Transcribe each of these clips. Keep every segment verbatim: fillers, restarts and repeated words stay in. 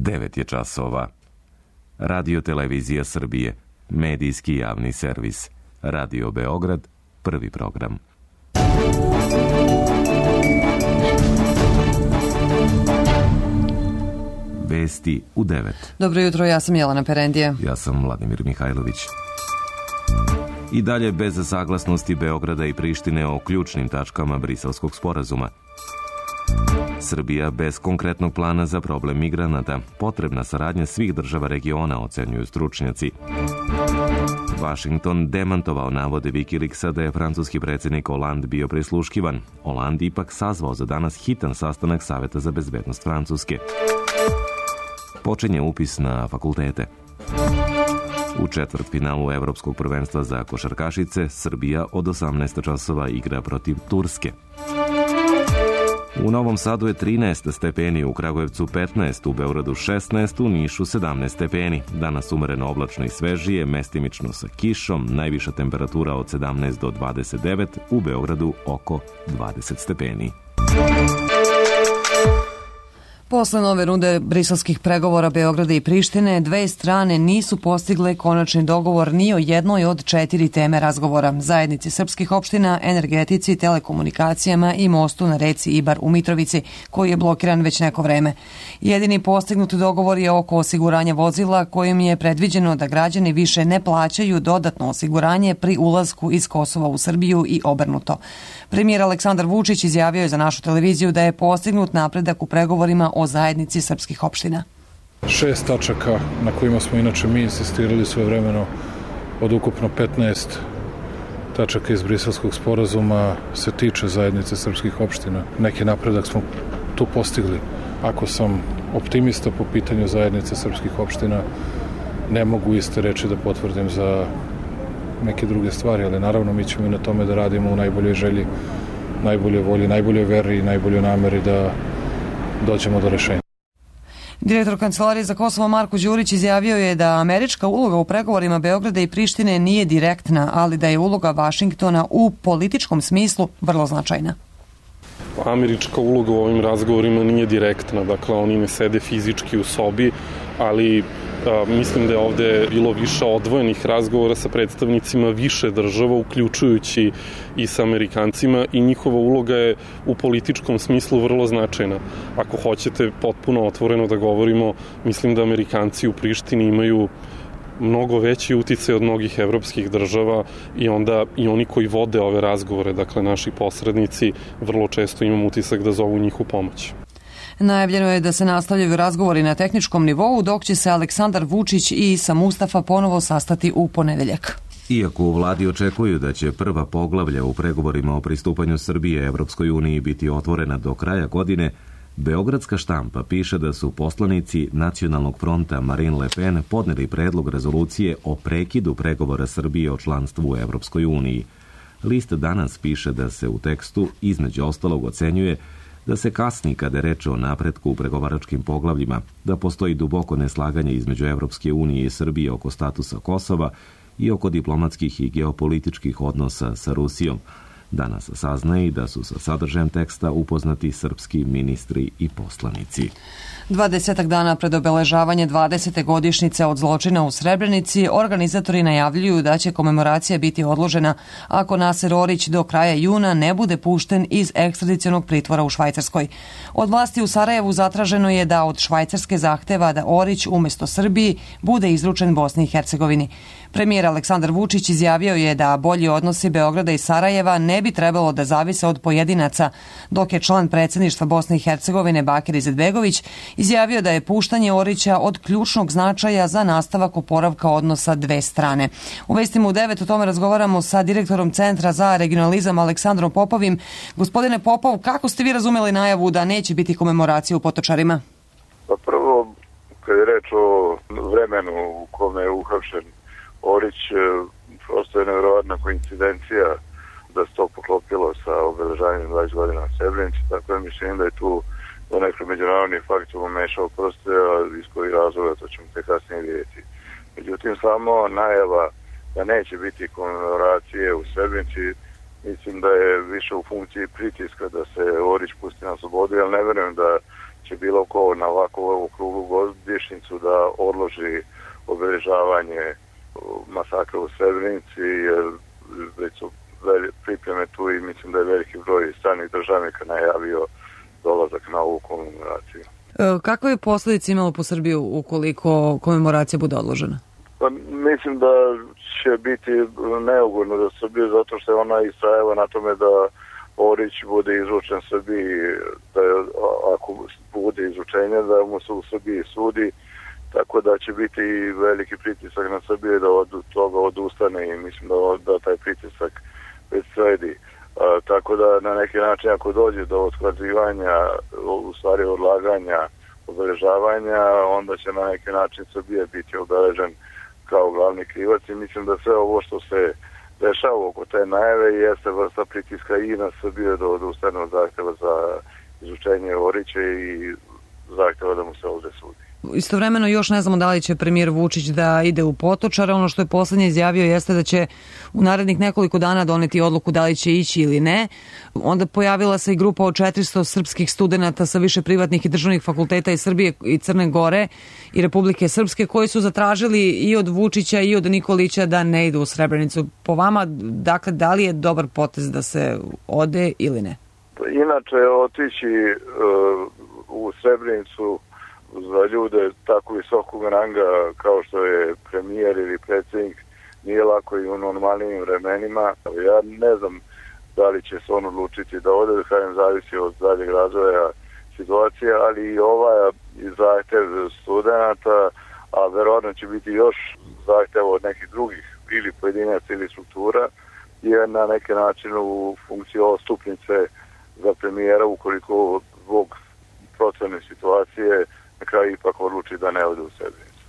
devet je časova. Radio Televizija Srbije, medijski javni servis. Radio Beograd, prvi program. Vesti u devet. Dobro jutro, ja sam Jelena Perendija. Ja sam Vladimir Mihajlović. I dalje bez saglasnosti Beograda i Prištine o ključnim tačkama Briselskog sporazuma. Srbija bez konkretnog plana za problem migranata. Potrebna saradnja svih država regiona, ocenjuju stručnjaci. Vašington demantovao navode Wikileaksa da je francuski predsjednik Hollande bio prisluškivan. Hollande ipak sazvao za danas hitan sastanak Saveta za bezbednost Francuske. Počinje upis na fakultete. U četvrtfinalu Evropskog prvenstva za košarkašice Srbija od osamnaest časova igra protiv Turske. U Novom Sadu je trinaest stepeni, u Kragujevcu petnaest, u Beogradu šesnaest, u Nišu sedamnaest stepeni. Danas umereno oblačno i svežije, mestimično sa kišom, najviša temperatura od sedamnaest do dvadeset devet, u Beogradu oko dvadeset stepeni. Posle nove runde briselskih pregovora Beograda i Prištine, dve strane nisu postigle konačni dogovor ni o jednoj od četiri teme razgovora: zajednici srpskih opština, energetici, telekomunikacijama i mostu na reci Ibar u Mitrovici, koji je blokiran već neko vreme. Jedini postignuti dogovor je oko osiguranja vozila, kojim je predviđeno da građani više ne plaćaju dodatno osiguranje pri ulasku iz Kosova u Srbiju i obrnuto. Premijer Aleksandar Vučić izjavio je za našu televiziju da je postignut napredak u pregovorima o zajednici srpskih opština. Šest tačaka na kojima smo inače mi insistirali svojevremeno od ukupno petnaest tačaka iz Briselskog sporazuma se tiče zajednice srpskih opština. Neki napredak smo tu postigli. Ako sam optimista po pitanju zajednice srpskih opština, ne mogu iste reči da potvrdim za neke druge stvari, ali naravno mi ćemo i na tome da radimo u najboljoj želji, najboljoj volji, najboljoj veri i najboljoj nameri da dođemo do rešenja. Direktor Kancelarije za Kosovo Marko Đurić izjavio je da američka uloga u pregovorima Beograda i Prištine nije direktna, ali da je uloga Vašingtona u političkom smislu vrlo značajna. Američka uloga u ovim razgovorima nije direktna, dakle oni ne sede fizički u sobi, ali a, mislim da je ovde bilo više odvojenih razgovora sa predstavnicima više država, uključujući i sa Amerikancima, i njihova uloga je u političkom smislu vrlo značajna. Ako hoćete potpuno otvoreno da govorimo, mislim da Amerikanci u Prištini imaju mnogo veći uticaj od mnogih evropskih država i onda i oni koji vode ove razgovore, dakle naši posrednici, vrlo često imam utisak da zovu njih u pomoć. Najavljeno je da se nastavljaju razgovori na tehničkom nivou, dok će se Aleksandar Vučić i Isa Mustafa ponovo sastati u ponedeljak. Iako u vladi očekuju da će prva poglavlja u pregovorima o pristupanju Srbije Evropskoj uniji biti otvorena do kraja godine, beogradska štampa piše da su poslanici Nacionalnog fronta Marine Le Pen podneli predlog rezolucije o prekidu pregovora Srbije o članstvu u Evropskoj uniji. List danas piše da se u tekstu između ostalog ocenjuje da se kasni kada je reč o napretku u pregovaračkim poglavljima, da postoji duboko neslaganje između Evropske unije i Srbije oko statusa Kosova i oko diplomatskih i geopolitičkih odnosa sa Rusijom. Danas saznaje i da su sa sadržajem teksta upoznati srpski ministri i poslanici. Dvadesetak dana pred obeležavanje dvadesete godišnjice od zločina u Srebrenici, organizatori najavljuju da će komemoracija biti odložena ako Naser Orić do kraja juna ne bude pušten iz ekstradicionog pritvora u Švajcarskoj. Od vlasti u Sarajevu zatraženo je da od Švajcarske zahteva da Orić umjesto Srbiji bude izručen Bosni i Hercegovini. Premijer Aleksandar Vučić izjavio je da bolji odnosi Beograda i Sarajeva ne bi trebalo da zavise od pojedinaca, dok je član predsjedništva Bosne i Hercegovine Bakir Izetbegović izjavio da je puštanje Orića od ključnog značaja za nastavak oporavka odnosa dve strane. U vestima u devet o tome razgovaramo sa direktorom Centra za regionalizam Aleksandrom Popovim. Gospodine Popov, kako ste vi razumeli najavu da neće biti komemoracije u Potočarima? Pa prvo, kad je reč o vremenu u kome je uhapšen Orić, prosto je nevjerovatna koincidencija da se to poklopilo sa obeležavanjem dvadeset godina na Srebrenici, tako da mislim da je tu do nekog međunarodnih faktora umešao prste, a iz kojih razloga to ćemo te kasnije vidjeti. Međutim, samo najava da neće biti komemoracije u Srebrenici, mislim da je više u funkciji pritiska da se Orić pusti na slobodu, jer ne verujem da će će bilo ko na ovakvu okruglu godišnjicu da odloži obeležavanje masakra u Srebrenici, jer već su pripreme tu i mislim da je veliki broj stranih državnika najavio dolazak na ovu komemoraciju. Kakve je posljedice imalo po Srbiju ukoliko komemoracija bude odložena? Pa, mislim da će biti neugodno za Srbiju zato što je ona istrajala na tome da Orić bude izručen Srbiji, da je, ako bude izručenje, da mu se u Srbiji sudi, tako da će biti veliki pritisak na Srbiju da od toga odustane i mislim da, da taj pritisak već sledi. A, tako da na neki način ako dođe do otkazivanja, u stvari odlaganja, obeležavanja, onda će na neki način Srbija biti obeležen kao glavni krivac i mislim da sve ovo što se dešava oko te najave jeste vrsta pritiska i na Srbiju da odustane od zahtjeva za izučenje Orića i zahtjeva da mu se ovdje sudi. Istovremeno još ne znamo da li će premijer Vučić da ide u Potočare. Ono što je poslednje izjavio jeste da će u narednih nekoliko dana doneti odluku da li će ići ili ne. Onda pojavila se i grupa od četiristo srpskih studenata sa više privatnih i državnih fakulteta iz Srbije i Crne Gore i Republike Srpske koji su zatražili i od Vučića i od Nikolića da ne idu u Srebrenicu. Po vama, dakle, da li je dobar potez da se ode ili ne? Inače, otići uh, u Srebrenicu za ljude tako visokog ranga kao što je premijer ili predsjednik nije lako i u normalnim vremenima. Ja ne znam da li će se on odlučiti da ode, kažem, zavisi od daljeg razvoja situacije, ali i ovaj zahtjev studenata, a verovatno će biti još zahtjev od nekih drugih ili pojedinaca ili struktura, je na neki način u funkciji odstupnice za premijera ukoliko zbog procene situacije na kraju ipak odluči da ne ode u Srebrenicu.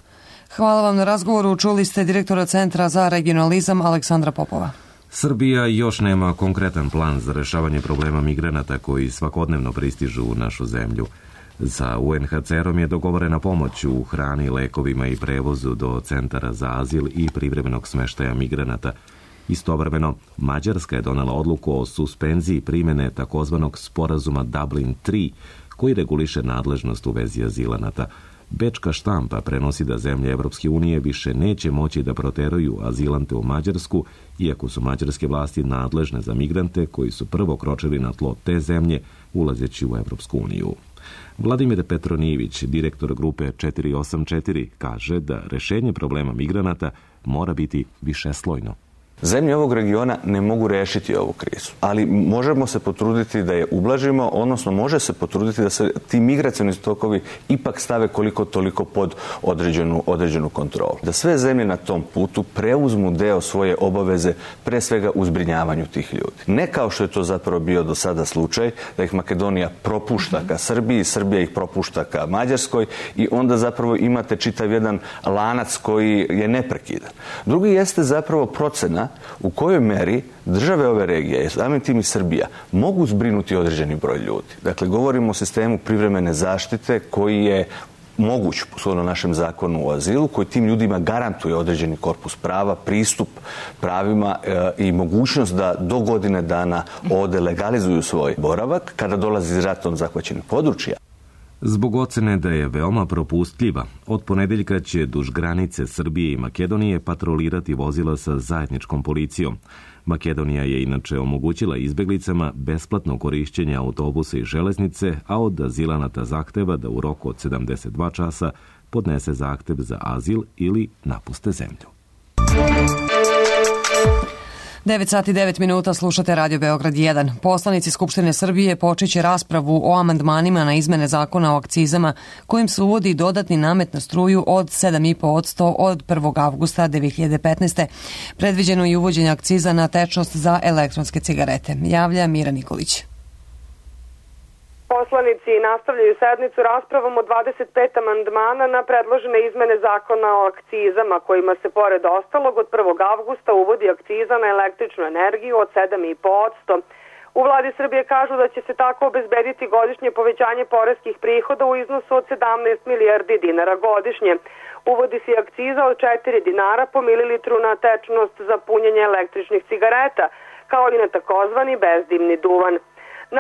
Hvala vam na razgovoru. Čuli ste direktora Centra za regionalizam Aleksandra Popova. Srbija još nema konkretan plan za rešavanje problema migranata koji svakodnevno pristižu u našu zemlju. Sa U N H C R-om je dogovorena pomoć u hrani, lekovima i prevozu do centara za azil i privremenog smeštaja migranata. Istovremeno, Mađarska je donela odluku o suspenziji primjene takozvanog sporazuma Dublin tri, koji reguliše nadležnost u vezi azilanata. Bečka štampa prenosi da zemlje Evropske unije više neće moći da proteraju azilante u Mađarsku, iako su mađarske vlasti nadležne za migrante koji su prvo kročili na tlo te zemlje ulazeći u Evropsku uniju. Vladimir Petronijević, direktor grupe četiri osam četiri, kaže da rešenje problema migranata mora biti višeslojno. Zemlje ovog regiona ne mogu rešiti ovu krizu, ali možemo se potruditi da je ublažimo, odnosno može se potruditi da se ti migracioni tokovi ipak stave koliko toliko pod određenu, određenu kontrolu. Da sve zemlje na tom putu preuzmu deo svoje obaveze, pre svega u zbrinjavanju tih ljudi. Ne kao što je to zapravo bio do sada slučaj, da ih Makedonija propušta ka Srbiji, Srbija ih propušta ka Mađarskoj i onda zapravo imate čitav jedan lanac koji je neprekidan. Drugi jeste zapravo procena u kojoj meri države ove regije, samim tim i Srbija, mogu zbrinuti određeni broj ljudi. Dakle, govorimo o sistemu privremene zaštite koji je moguć shodno našem zakonu o azilu, koji tim ljudima garantuje određeni korpus prava, pristup pravima e, i mogućnost da do godine dana ovde legalizuju svoj boravak kada dolazi iz ratom zahvaćenih područja. Zbog ocene da je veoma propustljiva, od ponedeljka će duž granice Srbije i Makedonije patrolirati vozila sa zajedničkom policijom. Makedonija je inače omogućila izbeglicama besplatno korišćenje autobusa i železnice, a od azilanata zahteva da u roku od sedamdeset dva časa podnese zahtev za azil ili napuste zemlju. devet sati i devet minuta, slušate Radio Beograd jedan. Poslanici Skupštine Srbije počeće raspravu o amandmanima na izmene zakona o akcizama kojim se uvodi dodatni namet na struju od sedam zarez pet posto od prvog avgusta dve hiljade petnaeste. Predviđeno je uvođenje akciza na tečnost za elektronske cigarete. Javlja Mira Nikolić. Poslanici nastavljaju sednicu raspravom o dvadeset pet amandmana na predložene izmene zakona o akcizama, kojima se pored ostalog od prvog avgusta uvodi akciza na električnu energiju od sedam zarez pet posto. U vladi Srbije kažu da će se tako obezbediti godišnje povećanje poreskih prihoda u iznosu od sedamnaest milijardi dinara godišnje. Uvodi se akciza od četiri dinara po mililitru na tečnost za punjenje električnih cigareta, kao i na takozvani bezdimni duvan.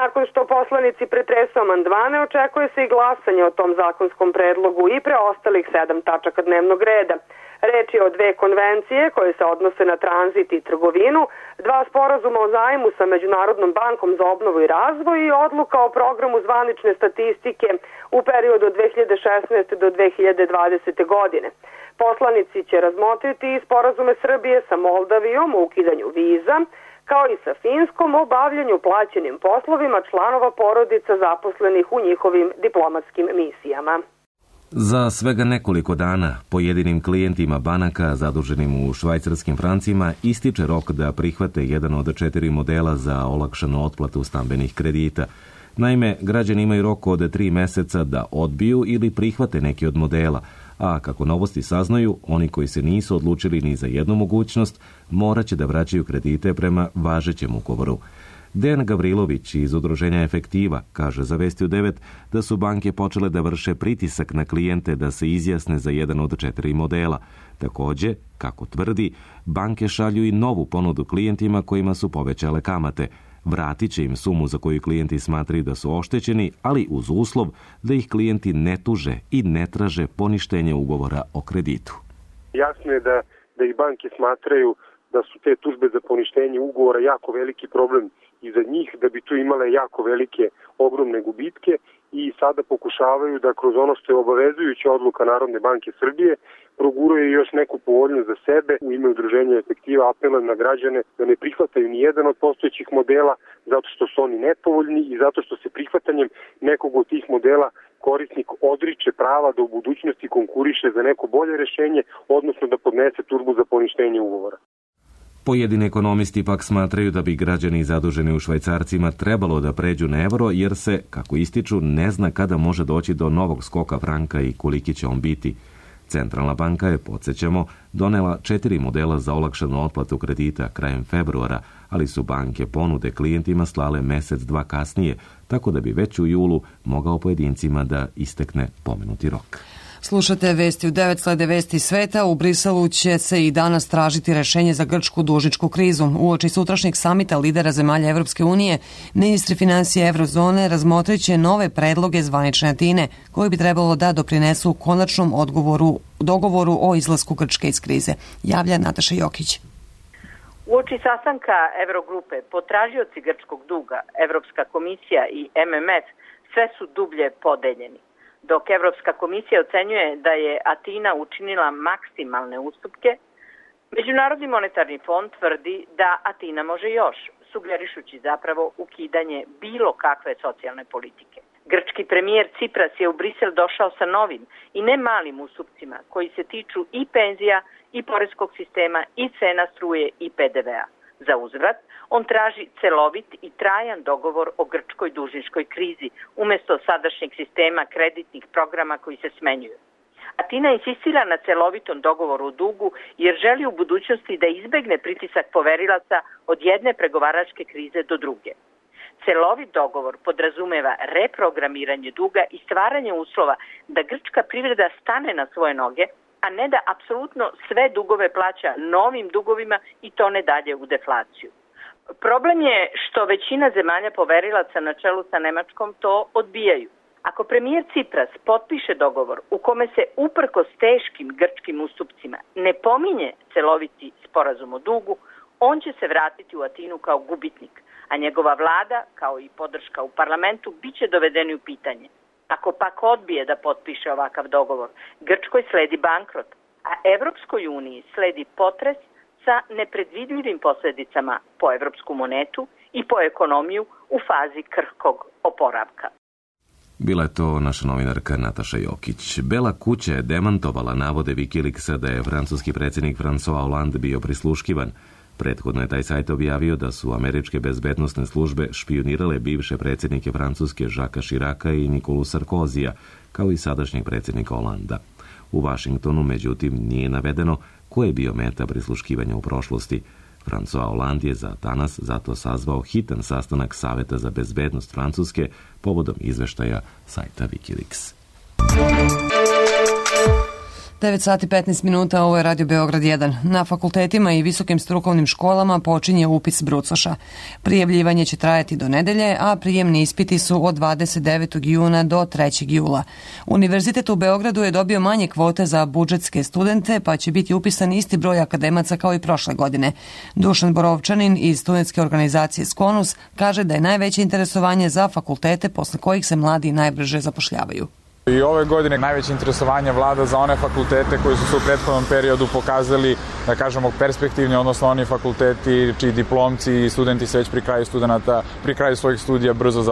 Nakon što poslanici pretresu amandmane, očekuje se i glasanje o tom zakonskom predlogu i preostalih sedam tačaka dnevnog reda. Reč je o dve konvencije koje se odnose na tranzit i trgovinu, dva sporazuma o zajmu sa Međunarodnom bankom za obnovu i razvoj i odluka o programu zvanične statistike u periodu od dve hiljade šesnaeste do dve hiljade dvadesete. godine. Poslanici će razmotriti i sporazume Srbije sa Moldavijom o ukidanju viza, kao i sa Finskom o bavljanju plaćenim poslovima članova porodica zaposlenih u njihovim diplomatskim misijama. Za svega nekoliko dana pojedinim klijentima banaka zaduženim u švajcarskim francima ističe rok da prihvate jedan od četiri modela za olakšanu otplatu stambenih kredita. Naime, građani imaju rok od tri meseca da odbiju ili prihvate neki od modela, a kako novosti saznaju, oni koji se nisu odlučili ni za jednu mogućnost morat će da vraćaju kredite prema važećem ugovoru. Dejan Gavrilović iz udruženja Efektiva kaže za Vesti u devet da su banke počele da vrše pritisak na klijente da se izjasne za jedan od četiri modela. Takođe, kako tvrdi, banke šalju i novu ponudu klijentima kojima su povećale kamate. Vratit će im sumu za koju klijenti smatraju da su oštećeni, ali uz uslov da ih klijenti ne tuže i ne traže poništenje ugovora o kreditu. Jasno je da, da ih banke smatraju da su te tužbe za poništenje ugovora jako veliki problem i za njih, da bi tu imale jako velike, ogromne gubitke i sada pokušavaju da kroz ono što je obavezujuća odluka Narodne banke Srbije proguraju još neku povoljnost za sebe. U ime udruženja Efektiva apelujem na građane da ne prihvataju ni jedan od postojećih modela zato što su oni nepovoljni i zato što se prihvatanjem nekog od tih modela korisnik odriče prava da u budućnosti konkuriše za neko bolje rešenje, odnosno da podnese tužbu za poništenje ugovora. Pojedini ekonomisti pak smatraju da bi građani zaduženi u švajcarcima trebalo da pređu na evro jer se, kako ističu, ne zna kada može doći do novog skoka franka i koliki će on biti. Centralna banka je, podsjećamo, donela četiri modela za olakšanu otplatu kredita krajem februara, ali su banke ponude klijentima slale mesec, dva kasnije, tako da bi već u julu mogao pojedincima da istekne pomenuti rok. Slušate Vesti u devet, slede vesti sveta. U Briselu će se i danas tražiti rešenje za grčku dužničku krizu. Uoči sutrašnjeg samita lidera zemalja Evropske unije, ministri financije Evrozone razmotrit će nove predloge zvanične Atine, koji bi trebalo da doprinesu konačnom odgovoru, dogovoru o izlasku Grčke iz krize. Javlja Nataša Jokić. Uoči sastanka Evrogrupe potražioci grčkog duga, Evropska komisija i M M F sve su dublje podeljeni. Dok Evropska komisija ocenjuje da je Atina učinila maksimalne ustupke, Međunarodni monetarni fond tvrdi da Atina može još, sugerišući zapravo ukidanje bilo kakve socijalne politike. Grčki premijer Cipras je u Brisel došao sa novim i ne malim ustupcima koji se tiču i penzija i poreskog sistema i cena struje i P D V-a. Za uzvrat, on traži celovit i trajan dogovor o grčkoj dužničkoj krizi umjesto sadašnjeg sistema kreditnih programa koji se smenjuju. Atina insistira na celovitom dogovoru o dugu jer želi u budućnosti da izbegne pritisak poverilaca od jedne pregovaračke krize do druge. Celovit dogovor podrazumeva reprogramiranje duga i stvaranje uslova da grčka privreda stane na svoje noge, a ne da apsolutno sve dugove plaća novim dugovima i tone dalje u deflaciju. Problem je što većina zemalja poverilaca na čelu sa Nemačkom to odbijaju. Ako premijer Cipras potpiše dogovor u kome se uprkos teškim grčkim ustupcima ne pominje celoviti sporazum o dugu, on će se vratiti u Atinu kao gubitnik, a njegova vlada, kao i podrška u parlamentu, bit će dovedeni u pitanje. Ako pak odbije da potpiše ovakav dogovor, Grčkoj sledi bankrot, a Evropskoj uniji sledi potres sa nepredvidljivim posljedicama po evropsku monetu i po ekonomiju u fazi krhkog oporavka. Bila je to naša novinarka Nataša Jokić. Bela kuća je demantovala navode Wikileaksa da je francuski predsjednik François Hollande bio prisluškivan. Prethodno je taj sajt objavio da su američke bezbednosne službe špionirale bivše predsjednike Francuske Jacquesa Chiraca i Nikolu Sarkozija, kao i sadašnjeg predsjednika Hollanda. U Vašingtonu, međutim, nije navedeno ko je bio meta prisluškivanja u prošlosti. François Hollande je za danas zato sazvao hitan sastanak Saveta za bezbednost Francuske povodom izveštaja sajta Wikileaks. devet sati petnaest minuta, ovo je Radio Beograd jedan. Na fakultetima i visokim strukovnim školama počinje upis brucoša. Prijavljivanje će trajati do nedelje, a prijemni ispiti su od dvadeset devetog juna do trećeg jula. Univerzitet u Beogradu je dobio manje kvote za budžetske studente, pa će biti upisan isti broj akademaca kao i prošle godine. Dušan Borovčanin iz studentske organizacije Skonus kaže da je najveće interesovanje za fakultete posle kojih se mladi najbrže zapošljavaju. I ove godine najveće interesovanje vlada za one fakultete koji su se u prethodnom periodu pokazali, da kažemo, perspektivni, odnosno oni fakulteti čiji diplomci i studenti se već pri kraju studenta, pri kraju svojih studija brzo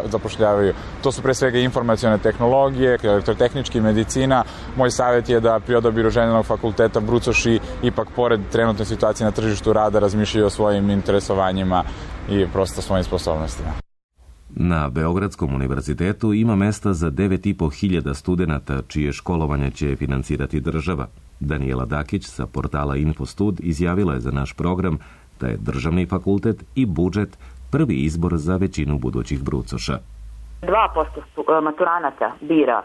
zapošljavaju. To su pre svega informacione tehnologije, elektrotehnički, medicina. Moj savjet je da pri odabiru željenog fakulteta brucoši ipak pored trenutne situacije na tržištu rada razmišljaju o svojim interesovanjima i prosto svojim sposobnostima. Na Beogradskom univerzitetu ima mesta za devet i po hiljada studenata čije školovanje će finansirati država. Danijela Dakić sa portala Infostud izjavila je za naš program da je državni fakultet i budžet prvi izbor za većinu budućih brucoša. dva posto maturanata bira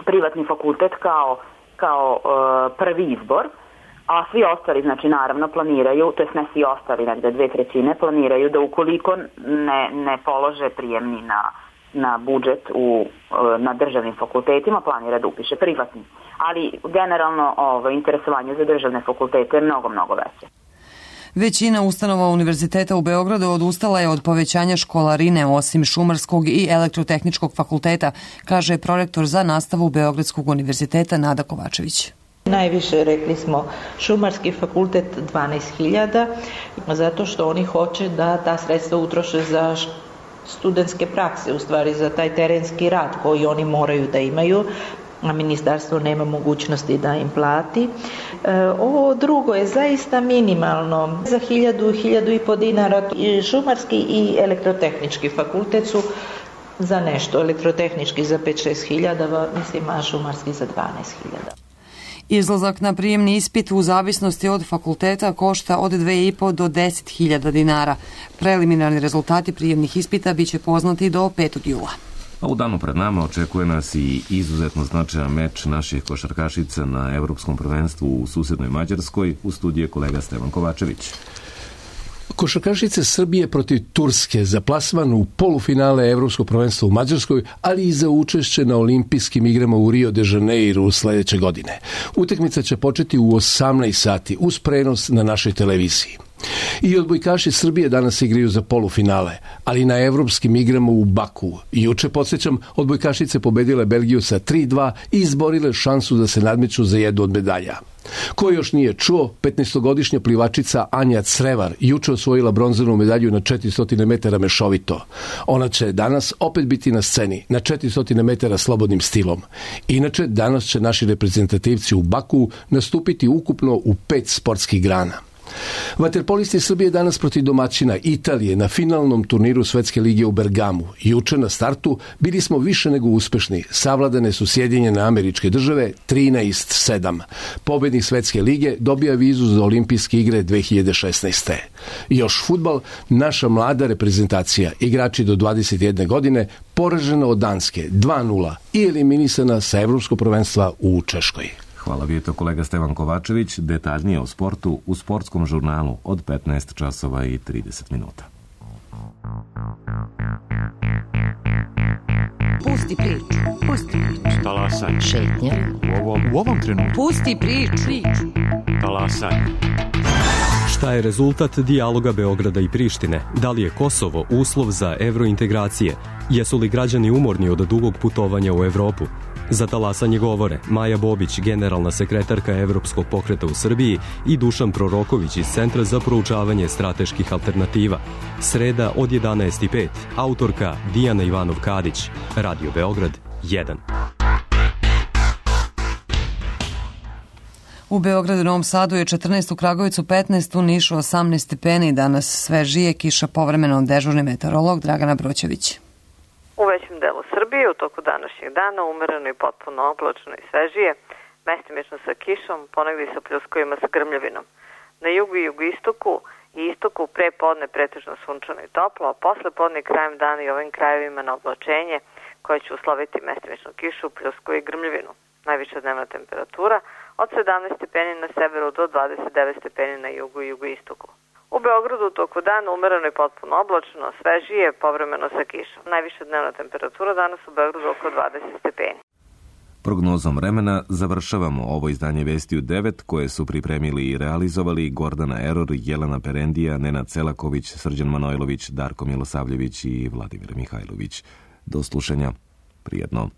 privatni fakultet kao, kao uh, prvi izbor, a svi ostali, znači naravno, planiraju, to jest ne svi ostali, negde dve trećine, planiraju da ukoliko ne, ne polože prijemni na, na budžet u, na državnim fakultetima, planira da upiše privatni. Ali generalno ovo, interesovanje za državne fakultete je mnogo, mnogo veće. Većina ustanova univerziteta u Beogradu odustala je od povećanja školarine osim Šumarskog i Elektrotehničkog fakulteta, kaže prorektor za nastavu Beogradskog univerziteta Nada Kovačević. Najviše, rekli smo, Šumarski fakultet dvanaest hiljada, zato što oni hoće da ta sredstva utroše za studentske prakse, u stvari za taj terenski rad koji oni moraju da imaju, a ministarstvo nema mogućnosti da im plati. Ovo drugo je zaista minimalno. Za hiljadu, hiljadu i po dinara Šumarski i Elektrotehnički fakultet su za nešto, elektrotehnički za pet šest hiljada, mislim, a Šumarski za dvanaest hiljada. Izlazak na prijemni ispit u zavisnosti od fakulteta košta od dve i po do deset hiljada dinara. Preliminarni rezultati prijemnih ispita biće poznati do petog jula. A u danu pred nama očekuje nas i izuzetno značajan meč naših košarkašica na Evropskom prvenstvu u susednoj Mađarskoj. U studiju je kolega Stevan Kovačević. Košarkašice Srbije protiv Turske za plasman u polufinale Evropskog prvenstva u Mađarskoj, ali i za učešće na olimpijskim igrama u Rio de Janeiru sledeće godine. Utakmica će početi u osamnaest sati uz prenos na našoj televiziji. I odbojkaši Srbije danas igraju za polufinale, ali na evropskim igrama u Baku. Juče, podsjećam, odbojkašice pobedile Belgiju sa tri dva i izborile šansu da se nadmeću za jednu od medalja. Ko još nije čuo, petnaestogodišnja plivačica Anja Crevar juče osvojila bronzanu medalju na četiristo metara mešovito. Ona će danas opet biti na sceni na četiristo metara slobodnim stilom. Inače, danas će naši reprezentativci u Baku nastupiti ukupno u pet sportskih grana. Vaterpolisti Srbije danas protiv domaćina Italije na finalnom turniru Svetske lige u Bergamu. Juče na startu bili smo više nego uspešni. Savladane su Sjedinjene Američke Države trinaest sedam. Pobednik Svetske lige dobija vizu za olimpijske igre dve hiljade šesnaeste. Još fudbal, naša mlada reprezentacija, igrači do dvadeset jedne godine, poražena od Danske dva nula i eliminisana sa Evropskog prvenstva u Češkoj. Hvala, bio je to kolega Stevan Kovačević. Detaljnije o sportu u sportskom žurnalu od petnaest časova i trideset minuta. Pusti priču, pusti priču. Talasaj. Šetnja. U ovom, u ovom trenutku. Pusti priču. Talasaj. Šta je rezultat dijaloga Beograda i Prištine? Da li je Kosovo uslov za evrointegracije? Jesu li građani umorni od dugog putovanja u Evropu? Za talasanje govore Maja Bobić, generalna sekretarka Evropskog pokreta u Srbiji, i Dušan Proroković iz Centra za proučavanje strateških alternativa. Sreda od jedanaest i pet. Autorka Dijana Ivanov-Kadić. Radio Beograd jedan. U Beogradu i Novom Sadu je četrnaest, u Kragujevcu petnaest, u Nišu osamnaest stepeni. Danas svežije, kiša povremeno, dežurni meteorolog Dragana Broćević. U većem delu Srbije u toku današnjeg dana umereno i potpuno oblačno i svežije, mestimično sa kišom, ponegdje sa pljuskovima sa grmljavinom. Na jugu i jugoistoku i istoku pre podne pretežno sunčano i toplo, a posle podne krajem dana i ovim krajevima na oblačenje koje će usloviti mestimičnu kišu, pljusku i grmljavinu. Najviša dnevna temperatura od sedamnaest stepeni na severu do dvadeset devet stepeni na jugu i jugoistoku. U Beogradu u toku dana umereno i potpuno oblačno, svežije, povremeno sa kišom. Najviša dnevna temperatura danas u Beogradu oko dvadeset stepeni. Prognozom vremena završavamo ovo izdanje Vesti u devet koje su pripremili i realizovali Gordana Eror, Jelena Perendija, Nenad Selaković, Srđan Manojlović, Darko Milosavljević i Vladimir Mihajlović. Do slušanja. Prijetno.